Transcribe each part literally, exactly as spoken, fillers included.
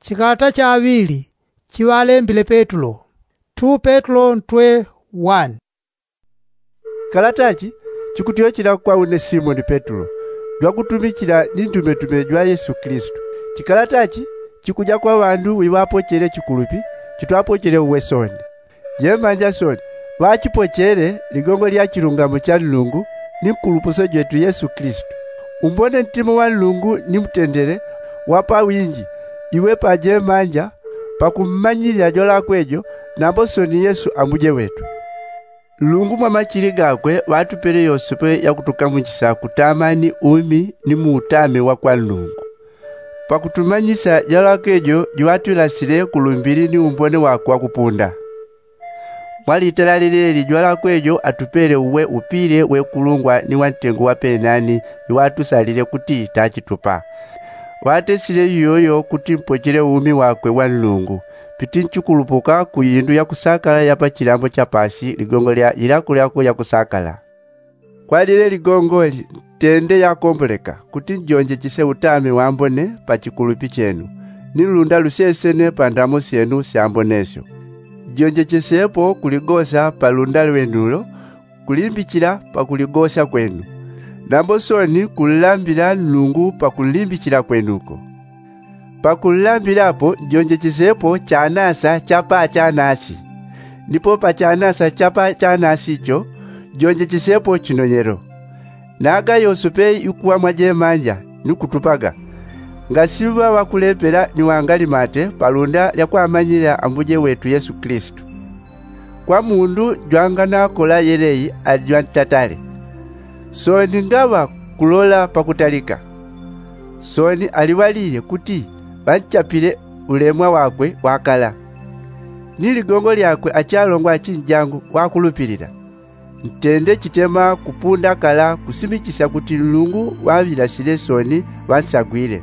Chikalata chaŵili chiŵalembile petulo. Two petulo ntwe one. Kalatachi chikutyochela kwa une simoni petulo, jwakutumichila ni ntumetume jwa yesu kilisitu. Chikalatachi chikuja kwa ŵandu wiŵapochele chikulupi chitwapochele uwe soni. Jemanja soni ŵachipochele ligongo lya chilungamo cha nlungu, ni nkulupuso jwetu yesu kilisitu. Umbone ntima wa nlungu ni mutendele wa pawinji iwe pajemanja pakummanyilila jwalakwe jo, nambo soni yesu ambuje wetu. Nlungu mwa machili gakwe ŵatupele yosepe yakutukamuchisa kutama ni umi ni muutame wa kwa nlungu. Pakutumanyisa jwalakwe jo jiŵatwilasile ku lumbili ni umbone wakwe wakupunda. Mwa litala lileli jwalakwe jo atupele uwe upile wekulungwa ni wantengo wa penani. Iŵatusalile kuti tachitupa ŵatesile iyoyo kuti mpochele umi wakwe wa nlungu. Pitinchikulupuka ku indu yakusakala ya pa chilambo cha pasi ligongo lya ilakulyako yakusakala. Kwalile ligongoli ntende yakomboleka kuti njonjechese utame wambone pa chikulupi chenu, ni lunda lusesene pa ndamo syenu syambonesyo. Njonjechesepo kuligosa pa lunda lwenulo kulimbichila pakuligosa kwenu, nambo soni kunlambila nlungu pakunlimbichila kwenuko. Pakunlambilapo njonjechesepo chanasa cha pa chanasi, nipo pa chanasa cha pa chanasi cho njonjechesepo chinonyelo. Naga yosepe ikuwa mwa jemanja ni kutupaga, ngasiŵa ŵakulepela ni wangalimate pa lunda lya kwamanyilila ambuje wetu yesu kilisitu. Kwa mundu jwanganakola yelei ali jwantatale. Soni ngaŵa kulola pakutalika. Soni aliŵalile kuti ŵanchapile ulemwa wakwe wakala, ni ligongo lyakwe achalongwa achinjangu ŵakulupilila. Ntende chitema kupunda kala kusimichisya kuti nlungu ŵaŵilasile soni ŵansagwile.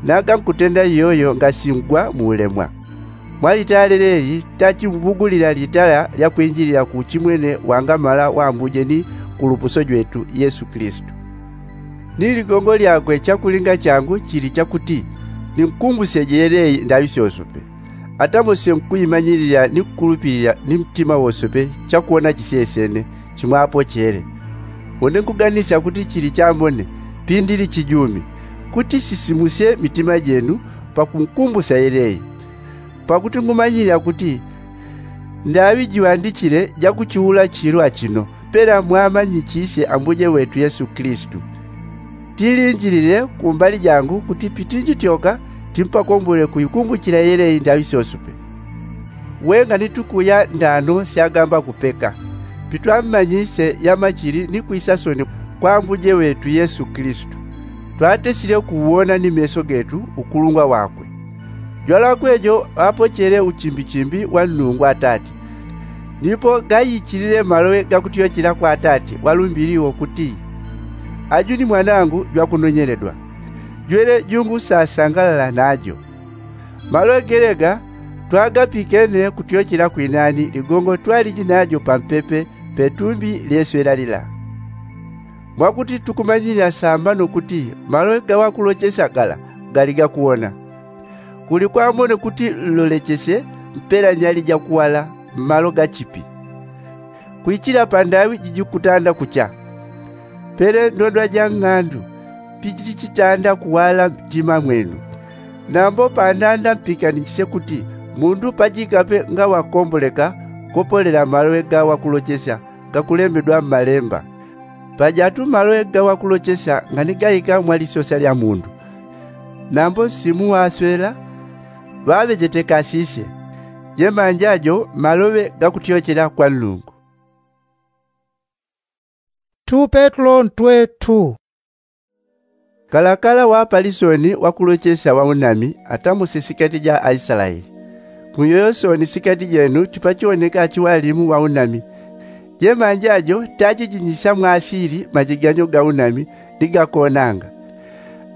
Naga nkutenda iyoyo ngasingwa muulemwa. Mwa litala leleli tachimbugulila litala lya kwinjilila ku chimwene wangamala wambuje ni nkulupuso jwetu yesu kilisitu. Ni ligongo lyakwe chakulinga changu chili chakuti ninkumbuseje yelei ndaŵi syosope. Atamosye nkuimanyilila ni nkulupilila ni mtima wosope chakuwona chisesene chimwapochele. Une nkuganisya kuti chili chambone pindili chijumi kuti sisimusye mitima jenu pakunkumbusya yelei. Pakuti ngumanyilila kuti ndaŵi jiŵandichile jakuchiula chilo achino pela mwamanyichisye ambuje wetu yesu kilisitu. Tilinjilile kumbali jangu kuti pitinjityoka timpakombole kuikumbuchila yelei ndaŵi syosope. Wenga ni tukuya ndano syagamba kupeka pitwammanyisye yamachili ni kwisa soni kwa ambuje wetu yesu kilisitu. Twatesile kuwona ni meso getu ukulungwa wakwe. Jwalakwe jo ŵapochele uchimbichimbi wa nlungu atati. Nipo gayichilile maloŵe gakutyochela kwa atati walumbili wo kuti, aju ni mwanangu jwakunonyeledwa, jwele jungusasangalala najo. Maloŵe gelega twagapikene kutyochela kwinani ligongo twaliji najo pampepe petumbi lyeswela lila. Mwakuti tukumanyilila sambano kuti maloŵe gaŵakulochesya gala gali gakuwona. Kuli kwamone kuti nlolechesye mpela nyali jakuwala mmalo gachipi. Kwichila pandaŵi jijikutanda kucha. Pele ndondwa ja ng'andu pijitichitanda kuwala mtima mwenu. Nambo pandanda mpikanichisye kuti mundu pajikape ngaŵakomboleka kopolela maloŵe gaŵakulochesya gakulembedwa mmalemba. Pajatu maloŵe gaŵakulochesya nganigaika mwa lisosya lya mundu. Nambo nsimu ŵaswela ŵaŵejetekasisye. Jemanja jo maloŵe gakutyochela kwa nlungu. Two petulo ntwe two. Kalakala ŵapalisoni ŵakulochesya ŵaunami atamuse sikati ja aislaeli. Muyoyo soni sikati jenu chipachoneka achiŵalimu ŵaunami. Jemanja jo tachijinyisya mwasili majiganyo gaunami ni gakonanga.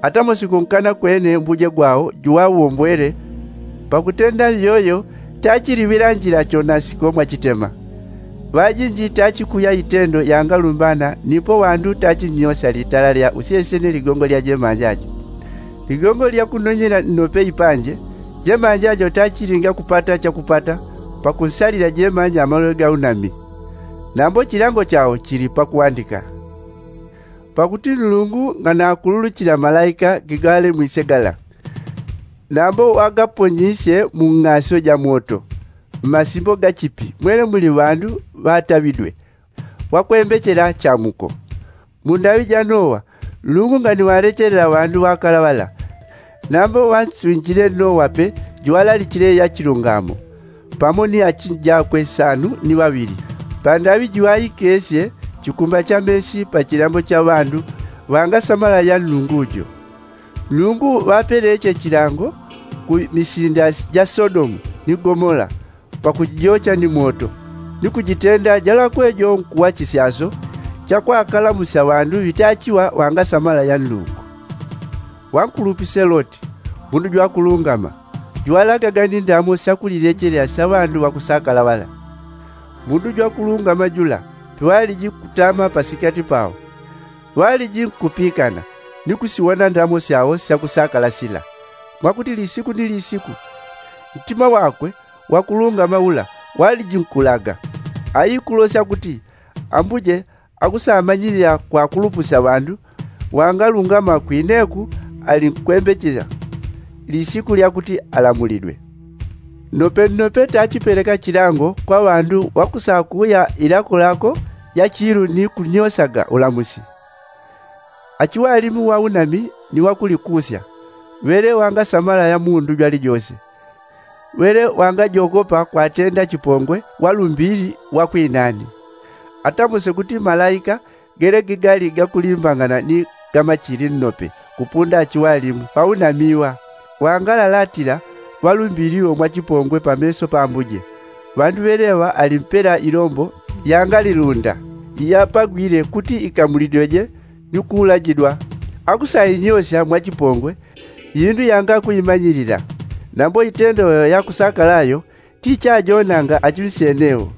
Atamose kunkana kwene mbuje gwawo juŵawombwele. Pakutenda iyoyo tachiliŵila njila chonasiko mwachitema. Ŵajinji tachikuya itendo yangalumbana nipo ŵandu tachinyosya litala lya usyesene ligongo lya jemanja jo. Ligongo lya kunonyela nnope ipanje Jemanja jo tachilinga kupata chakupata pakunsalila jemanja malowe gaunami. Nambo chilango chao chili pakuwandika. Pakuti nlungu nganakululuchila malaika gigale mwise gala, nambo wagaponyisye mu ng'asyo ja moto, mmasimbo gachipi mwele muli ŵandu ŵataŵidwe, wakwembechela chamuko. Mu ndaŵi ja nowa, nlungu nganiwalechelela ŵandu ŵakala ŵala. Nambo ŵansunjile nowa pe, juŵalalichile ya chilungamo, pamo ni achinjakwe sanu ni ŵaŵili, pandaŵi juŵaikesye chikumba cha mesi pa chilambo cha ŵandu ŵangasamala ya nlungu jo. Nlungu ŵapeleche chilango ku misinda ja sodomu ni gomola, pakujijocha ni moto, ni kujitenda jalakwe jo nkuwa chisyaso cha kwakalamusya ŵandu ŵitachiwa ŵangasamala ya nlungu. Wankulupise loti, mundu jwakulungama, juŵalagaga ni ndamo syakulilechelela sya ŵandu ŵakusakala ŵala. Mundu jwakulungama jula, piŵaliji kutama pasikati pao, ŵaliji nkupikana ni kusiwona ndamo syao syakusakala sila, mwakuti lisiku ni lisiku ntima wakwe wakulungama ula ŵaliji nkulaga. Aikulosya kuti ambuje akusamanyilila kwakulupusya ŵandu ŵangalungama kwineku ali nkwembechela lisiku lya kuti alamulidwe. Nnope nnope tachipeleka chilango kwa ŵandu ŵakusakuya ilakolako ya chilu ni kunyosaga ulamusi. Achiŵalimu ŵaunami ni ŵakulikusya, ŵele ŵangasamala ya mundu jwalijose, ŵele ŵangajogopa kwatenda chipongwe walumbili ŵakwinani. Atamuse kuti malaika gele gigali gakulimbangana ni gamachili nnope kupunda achiŵalimu ŵaunamiwa, ŵangalalatila ŵalumbili wo mwa chipongwe pameso pa ambuje. Ŵandu ŵeleŵa ali mpela ilombo yangalilunda iyapagwile kuti ikamulidweje ni kuulajidwa. Akusainyosya mwa chipongwe indu yangakuimanyilila, nambo itendo yo yakusakala yo tichajonanga achiŵisyenewo.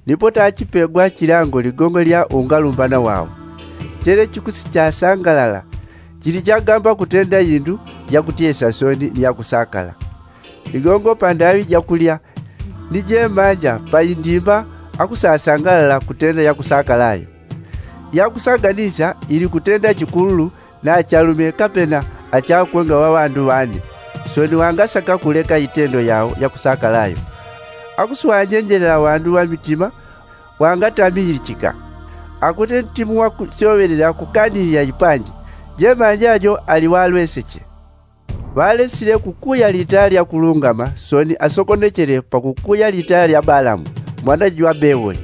Nipo tachipegwa chilango ligongo lya ungalumbana wao, chele chikusichasangalala chili chagamba kutenda indu yakutyesya soni ni yakusakala. Ligongo pandaŵi jakulya ni jemanja pa indimba akusasangalala kutenda yakusakala yo. Yakusaganisya ili kutenda chikululu na achalume kapena achakwe ngaŵa ŵandu ŵane, soni ŵangasaka kuleka itendo yao yakusakala yo. Akuswanjenjelela ŵandu ŵa mitima ŵangatamilichika. Akuti ntimu wakusyoŵelela kukanilila ipanji, jemanja jo ali ŵalweseche. Ŵalesile kukuya litala lya kulungama soni asokonechele pakukuya litala lya balamu mwana jwa bewoli.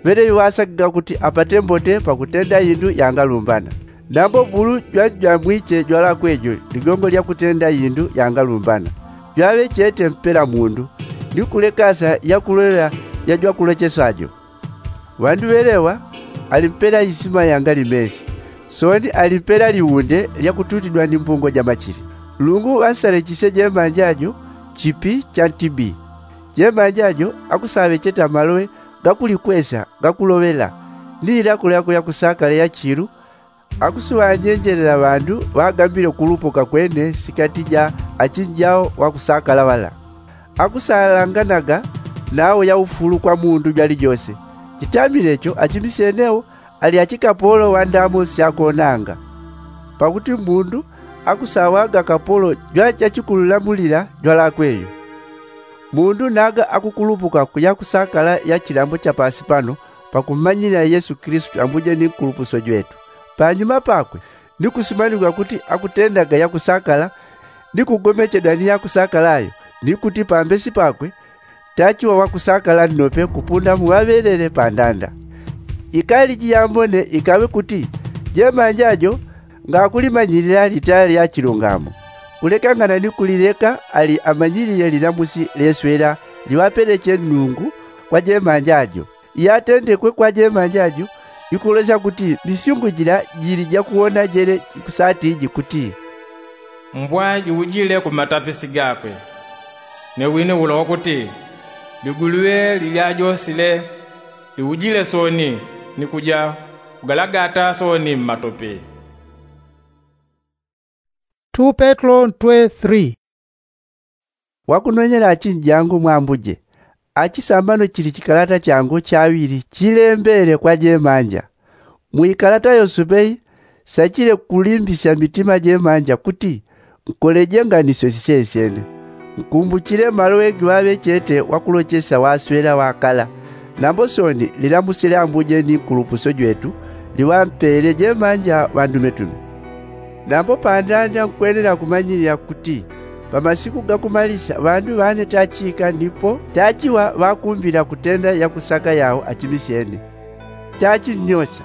Ŵeleŵi ŵasakaga kuti apate mbote pakutenda indu yangalumbana. Nambo bulu jwanjamwiche jwalakwe jo ligongo lya kutenda indu yangalumbana, jwaŵe chete mpela mundu ni kulekasa yakulolela ya jwakulocheswa jo. Ŵandu ŵeleŵa ali mpela isima yangali mesi, soni ali mpela liunde lyakututidwa ni mbungo ja machili. Nlungu ŵansalechisye jemanja jo chipi cha ntibi. Jemanja jo akusaŵecheta maloŵe gakulikwesya gakuloŵela ni ilako lyakwe yakusakala ya chilu. Akusiŵanjenjelela ŵandu ŵagambile kulupuka kwene sikati ja achinjao ŵakusakala ŵala. Akusalanganaga nao ya ufulu kwa mundu jwalijose. Chitamile cho achimisyenewo ali achikapolo ŵa ndamo syakonanga. Pakuti mundu akusaŵaga kapolo jwa chachikululamulila jwalakwe yo. Mundu naga akukulupuka ku yakusakala ya chilambo cha pasi pano pakummanyilila yesu kilisito ambuje ni nkulupuso jwetu. Panyuma pakwe ni kusimanigwa kuti akutendaga yakusakala ni kugomechedwa ni yakusakala yo, ni kuti pambesi pakwe tachiŵa wakusakala nnope kupunda mu ŵaŵelele pa ndanda. Ikaliji yambone ikaŵe kuti jemanja jo ngakulimanyilila litala lya chilungamo, kulekangana ni kulileka ali amanyilile lilamusi leswela liŵapeleche nnungu kwa jemanja jo. Iyatendekwe kwa jemanja jo ikulosya kuti misyungu jila jili jakuwona jele ikusati jikuti, mbwa jiujile ku matafisi gakwe. Ne wine ula wakuti liguluŵe lilyajosile liujile sooni ni kuja kugalagata sooni mmatope. Two petro three. Pwakunonyela achinjangu mwambuje, achisambano chili chikalata changu chaŵili chilembele kwa jemanja. Mu ikalata yosope sachile kulimbisya mitima jemanja kuti nkoleje nganisyo sisesyene. Nkumbuchile maloŵe giŵaŵe chete wakulochesya waswela wakala. Nambo soni lilamusile ambuje ni nkulupuso jwetu liŵampele jemanja ŵandumetume. Nambo pandanda nkwenela kumanyilila kuti pa masiku gakumalisya ŵandu ŵane tachika nipo tachiŵa ŵakumbila kutenda yakusaka yao achimisyene. Tachinyosya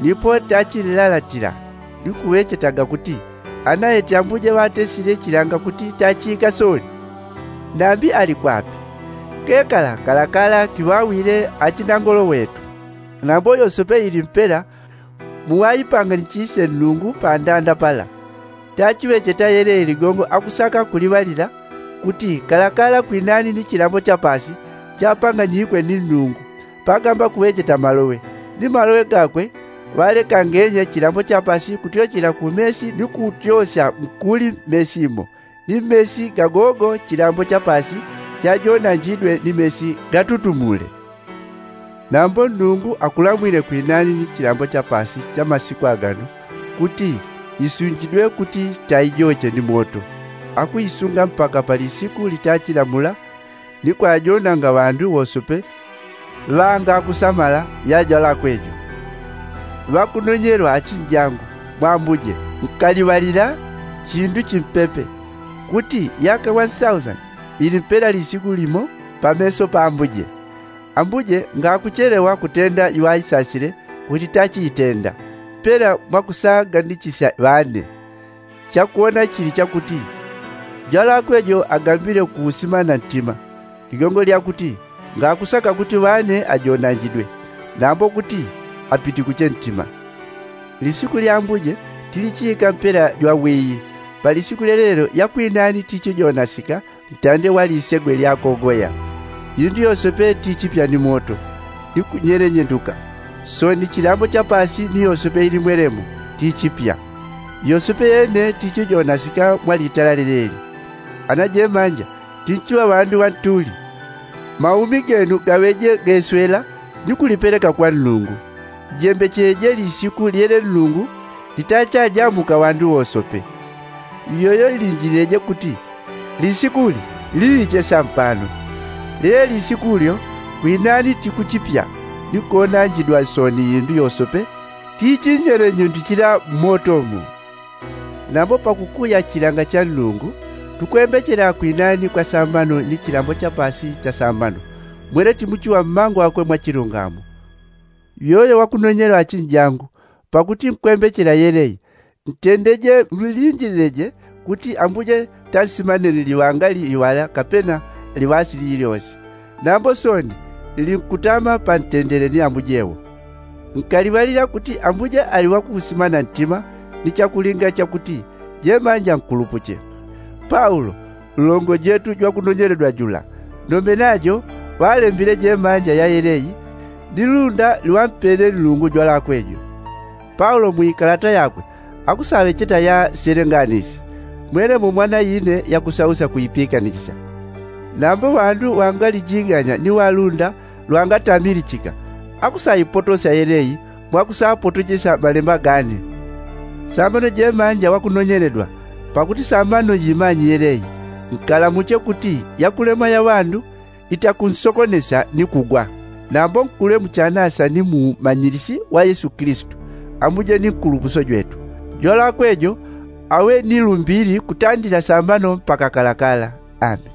nipo tachililalatila ni kuŵechetaga kuti ana eti ambuje ŵatesile chilanga kuti tachika soni. Nambi ali kwapi? Kekala kalakala kiŵawile achinangolo ŵetu. Nambo yosope ili mpela muŵaipanganichisye nnungu pandanda pala. Tachiŵecheta yelei ligongo akusaka kuliŵalila kuti kalakala kwinani ni chilambo cha paasi chapanganyikwe ni nnungu. Pagamba kuŵecheta maloŵe ni maloŵe gakwe ŵalekangenye chilambo cha paasi kutyochela ku mesi ni kutyosya nkuli mesi mo ni mesi gagogo chilambo cha paasi chajonanjidwe ni mesi gatutumule. Nambo nnungu akulamwile kwinani ni chilambo cha paasi cha masiku agano kuti isunjidwe kuti taijoche ni moto. Akuisunga mpaka pa lisiku litachilamula ni kwajonanga ŵandu wosope ŵangakusamala ya jwalakwe jo. Ŵakunonyelwa achinjangu mwambuje, nkaliŵalila chindu chimpepe kuti yaka one thousand ili mpela lisiku limo pa meso pa ambuje. Ambuje ngakuchelewa kutenda iŵaisasile kuti tachiitenda mpela mwakusagandichesya ŵane. Chakuwona chili chakuti jwalakwe jo agambile kuusima na ntima ligongo lyakuti ngakusaka kuti ŵane ajonanjidwe nambo kuti apitikuche ntima. Lisiku lya ambuje tilichiika mpela jwawiyi. Pa lisiku lyelelo yakwinani tichijonasika ntande wa lisegwe lyakogoya. Indu yosope tichipya ni moto ni kunyelenyenduka. Soni chilambo cha paasi ni yosope ili mwelemo tichipya. Yosope yene tichijonasika mwa litala lyeleli. Ana jemanja tinchiŵa ŵandu ŵantuli. Maumi genu gaŵeje geswela ni kulipeleka kwa nnungu. Jembecheje lisiku lyele nnungu litachajamuka ŵandu wosope. Iyoyo linjilileje kuti lisikuli liiche sampano. Lyele lisikulyo kwinani tikuchipya ni konanjidwa soni indu yosope tichinyelenyundichila mmotomo. Nambo pakukuya chilanga cha nnungu tukwembechela kwinani kwa sambano ni chilambo cha paasi cha sambano. Mwene timuchiŵa mmango wakwe mwa chilungamo. Yoyo wakunonyela achinjangu pakuti nkwembechela yelei. Ntendeje mlinjilileje kuti ambuje tansimaneni liŵanga liŵala kapena liŵasi lilyosi. Nambo soni linkutama pantendele ni ambuje wo. Nkaliŵalila kuti ambuje ali wakuusimana ntima ni chakulinga chakuti jemanja nkulupuche. Paulo nlongo jetu jwakunonyeledwa jula nombe najo ŵalembile jemanja ya yelei ni lunda liŵampele nnungu jwalakwe jo. Paulo mu ikalata yakwe akusaŵecheta yaselenganisye mwelemo mwana ine yakusausya kuipikanichisya. Nambo ŵandu ŵangalijiganya ni ŵalunda lwangatamilichika akusaipotosya yelei mwakusapotochesya malemba gane. Sambano jemanja ŵakunonyeledwa pakuti sambano jimanyi yelei. Nkalamuche kuti yakulemwa ya ŵandu itakunsokonesya ni kugwa. Nambo nkule mu chanasa ni mu umanyilisi wa yesu kilisitu ambuje ni nkulupuso jwetu. Jwalakwe jo aŵe ni lumbili kutandila sambano mpaka kalakala. Ameni.